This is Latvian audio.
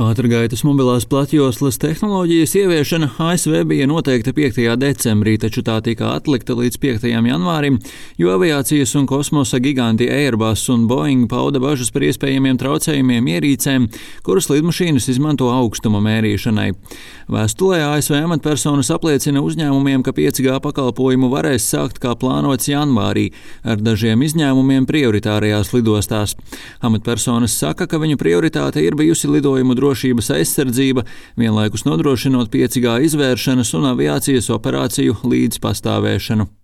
Ātrgaitas mobilās platjoslas tehnoloģijas ieviešana ASV bija noteikta 5. decembrī, taču tā tika atlikta līdz 5. janvārim, jo aviācijas un kosmosa giganti Airbus un Boeing pauda bažas par iespējamiem traucējumiem ierīcēm, kuras lidmašīnas izmanto augstuma mērīšanai. Vēstulē ASV amatpersonas apliecina uzņēmumiem, ka 5G pakalpojumu varēs sākt kā plānots janvārī, ar dažiem izņēmumiem prioritārajās lidostās. Amatpersonas saka, ka viņu prioritāte ir bijusi lidojumu drošības aizsardzība, vienlaikus nodrošinot 5G izvēršanas un aviācijas operāciju līdzpastāvēšanu.